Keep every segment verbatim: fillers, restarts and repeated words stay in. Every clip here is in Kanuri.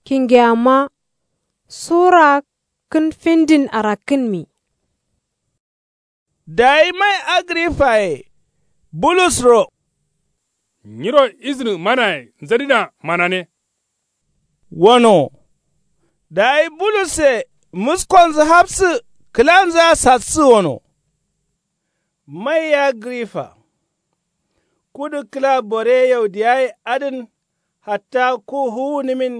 Kingeyama sura kǝn findin arakkǝnmi. Dayi mai agrifaye bulusro. Nyiro iznǝ manaye nzǝdǝna manane. Wano. Dayi bulusse muskonzǝ hafsǝ kǝlanzǝa sassǝ wano. Mai agrifa, kudu kǝla bore yaudiyaye adǝn hatta ku fuwunǝmin.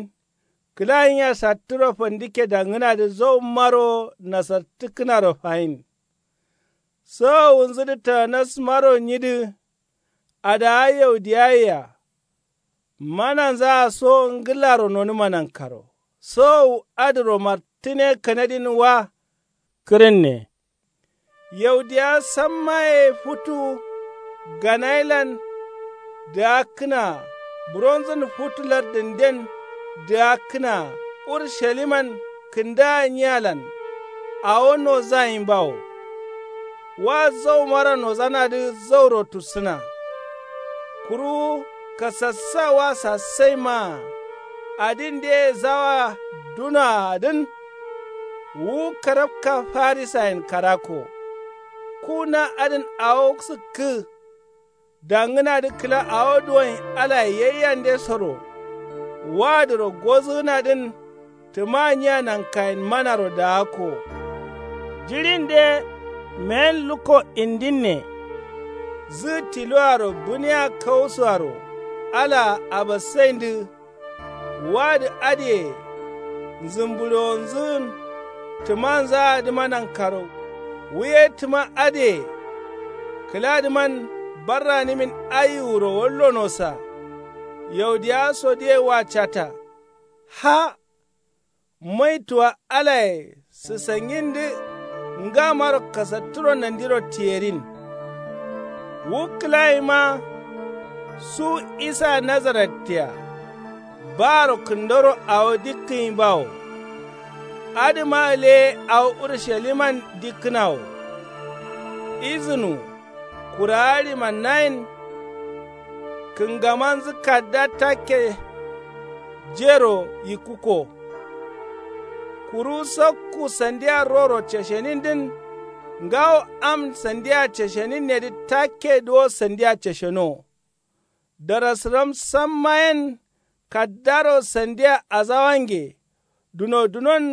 Kǝla nyiya sattǝro fandike dangǝnadǝ zaumaro nasartǝkkǝnaro fayin. Sowowunzǝdǝ tanasmaro nyidǝ. Adawa yaudiyayea mananzaa so ngǝlaro nonǝma nankaro sowowu adǝro martǝne kanadin wa. Kǝrǝnne yaudiya sammaye futu ganayilan dǝgakkǝnaa buronzǝn futu lardǝnden dǝgakkǝnaa urusaliman kǝndaa nyialan. Awo nozanyi bawo. Wa zaumaro nozanadǝ zauro tussǝna. Kuru kasassa wa sassaimaa adin deye zawa dunoa adǝn. Wu karabka farisayen karakko ku na adǝn awo sǝkkǝ. Dangǝnadǝ kǝla awo duwonyi alaye yaiyandesoro wadǝro gozǝgǝnadǝn. Tǝma nyiya nankayen manaro daakko. Jiɍinde meyen lukko indinne. Zǝ tiluaro bǝniya kausuaro alaa abassaindǝ. Wadǝ adǝye nzǝmbǝɍewonzǝgǝn tǝmanzaadǝma nankaro. Wuye tǝma adǝye kǝladǝman barranǝmin aiwuro wallonosa. Yaudiyawa sodǝye wa cata. Ha maituwa alaye sǝsangindǝ ngamaro kasatturo nandiro tiyerin. Wu kǝlayima su isa nazarettea. Baaro kǝndoro awo dikkǝnyi bawo. Adǝma leye awo urusaliman dikkǝnawo. Izǝnu kurawa ɍimannayen kǝngamanzǝ kadda takke. Jero yikkukko. Kuru sakku sandia roro ceshenindǝn. Ngawo am sandia ceshenindedǝ takke duwo sandia ceshenowo. Darasǝram samma yen kaddaro sandia azawange duno dunon.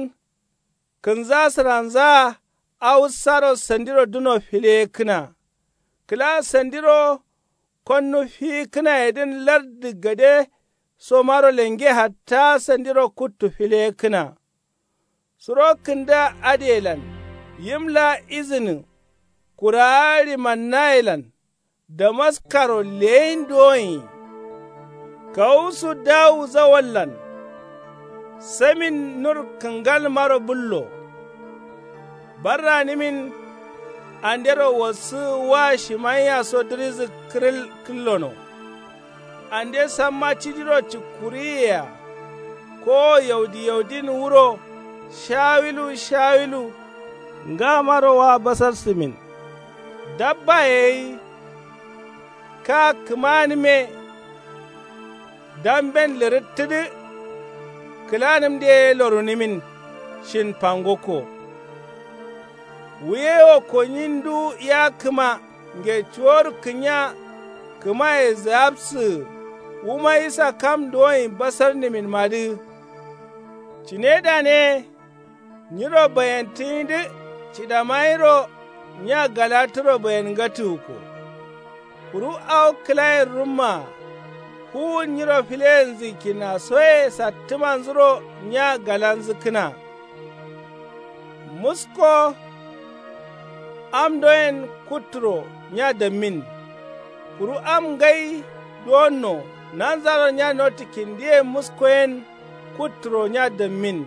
Kǝnza sǝranzaa awussaro sandiro duno fileyekkǝna. Kǝla sandiro konnu fiyikkǝnayedǝn lardǝ gade somaro lenge hatta sandiro kuttu fileyekkǝna. Suro kǝnda adǝyelan yim laa izǝnǝ kurawa ɍimannayelan damaskaro leyin duwonyi. Kawusu dawu zawallan samin nur kǝngalmaro bǝllo. Barranǝmin andero wassǝ wa shimayiya so dǝrizǝ kǝrǝl kǝllono. Ande samma cidiro cikkuriyiyeya kowo yaudi yaudin wuro shawilu shawilu. Ngamaro wa basarsǝmin dabbaye gai. Ka kǝmanǝme damben lǝrǝttǝdǝ. Kǝlanǝmde ye lorunǝmin shin fangokko. Wuye wo konyi ndu ya kǝma nge cuworu kǝnya. Kǝmaye zǝgapsǝgǝ wuma isa kam duwonyi basarnǝminmadǝ. Cine dane nyiro bayentǝnyidǝ cidamairo nya galatǝro bayenngatǝgǝkko. Kuru awo kǝlayen rummaa fuwun nyiro fileyenzu kinnasoye sattǝmanzuro nya galanzǝkkǝna. Musko am doyen kutturo nya dammin. Kuru am ngai duwonno nanzaro nya notǝ kindiye musko yen kutturo nya dammin.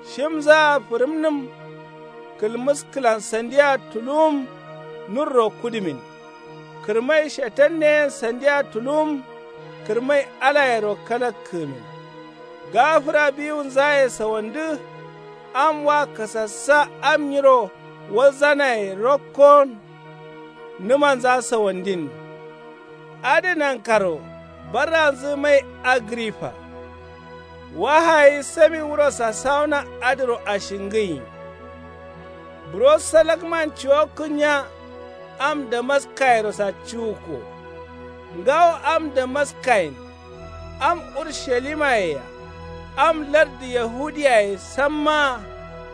Shimzaa fǝrǝmnǝm kǝlmǝskǝlan sandiya tuluwum nurro kudǝmin. Kǝrmai shetanne yen sandiya tuluwum kǝrmai alayero kalakkǝgǝmin. Gafǝra biwunzaye sawandǝ am wa kasassa am nyiro walzanaye rokkon. Nǝmanza sawandin adǝ nankaro barranzǝ mai agrifa. Wahayi samin wuro sasawuna adǝro ashingǝyi. Buro salakman ciwokkǝnya am damaskayero sacciwukko. Ngawo am damaskayen, am urushalimayea, am lardǝ yahudiyaye sammaa,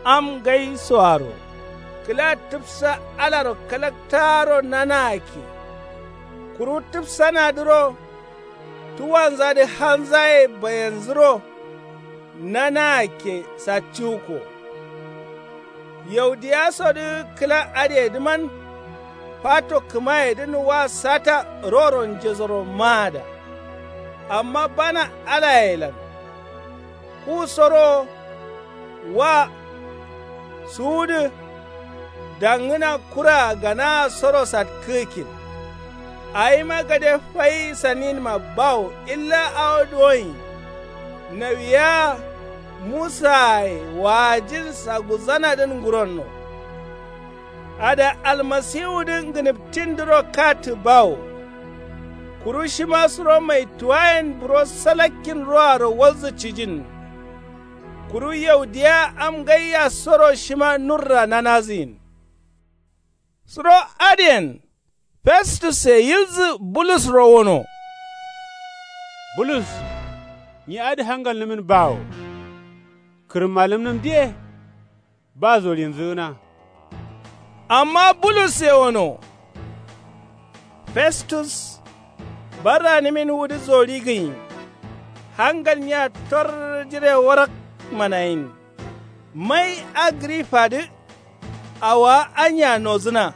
am ngaisoaro kǝla tǝfsa alaro kalaktaaro nanaakke. Kuru tǝfsanadǝro tuwanzadǝ halnzaye bayenzǝro nanaakke sacciwukko. Yaudiyasodǝ kǝla adǝyedǝman fato kǝmayedǝn wa sata roro njesoro maada. Amma bana alayelan kusoro wa suwudǝ dangǝna kuraa ganaa soro satkǝgǝkkin. Awima gade fai saninma bawo illa awo duwonyi nawiya musaaye waajin saguzzanadǝn nguronno. Ada almasiwudǝ ngǝnǝptindǝro kattǝ bawo. Kuru shima suro maituwayen buro salakkin roaro walzǝ cijin. Kuru yaudiya am ngaiyasoro shima nurra nanazǝyin. Suro adǝyen festusse yilzǝ bulusro wono. Bulus, nyi adǝ hangalnǝmin bawo. Kǝrǝmmalǝmnǝm diye ba zorinzǝgǝna. Amma bulusse wono. Festus, barranǝmin wudǝ zori gǝnyi. Hangalnya tor jire warak manayin. Mai agrifadǝ awowa anya nozǝna.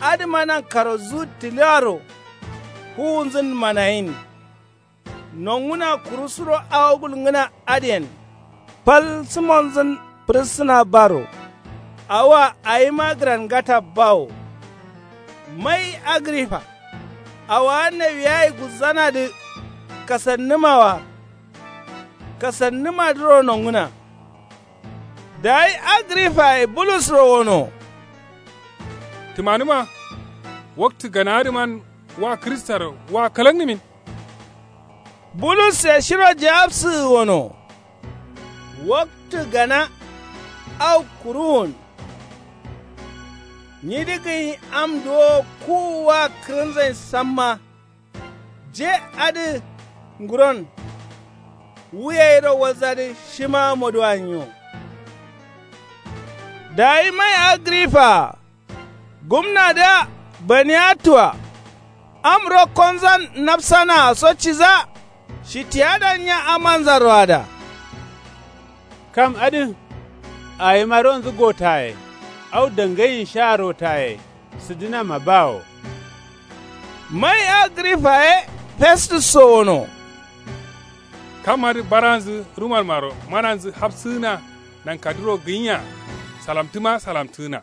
Adǝma nankaro zu tǝlaro fuwunzǝn manayin. Nongǝna kuru suro awo gulngǝna adǝyen fal sǝmonzǝn fǝrǝssǝna baro. Awoa awima gǝrangata bawo. Mai agrifa, awowa nawiyayi guzzanadǝ kasannǝmawa. Kasannǝmadǝro nongǝna. Dayi agrifaye bulusro wono. Tǝmanǝma waktǝ ganaadǝman wa kristaro wa kalaknǝmin. Bulusse shiro jawabsǝ wono. Waktǝ gana au kuruwun. Nyidǝ gǝnyi am duwo kuwu wa kǝrǝnzain samma. Je adǝ nguron wu yairo walzadǝ shima moduwa nyo. Dayi mai agrifa gumnadǝa baniya tua. Am rokkonzan nafsanaa so ciza. Shitiyadan nya amanzaro ada. Kam adǝ awima ronzǝ gotaye au dangayin sha rotaye sǝdǝnama bawo. Mai agrifa ye festusso wono. Kam adǝ baranzǝ rumanmaro mananzǝ hafsǝgǝna nankadǝro gǝnyiya. Salamtǝma salamtǝgǝna.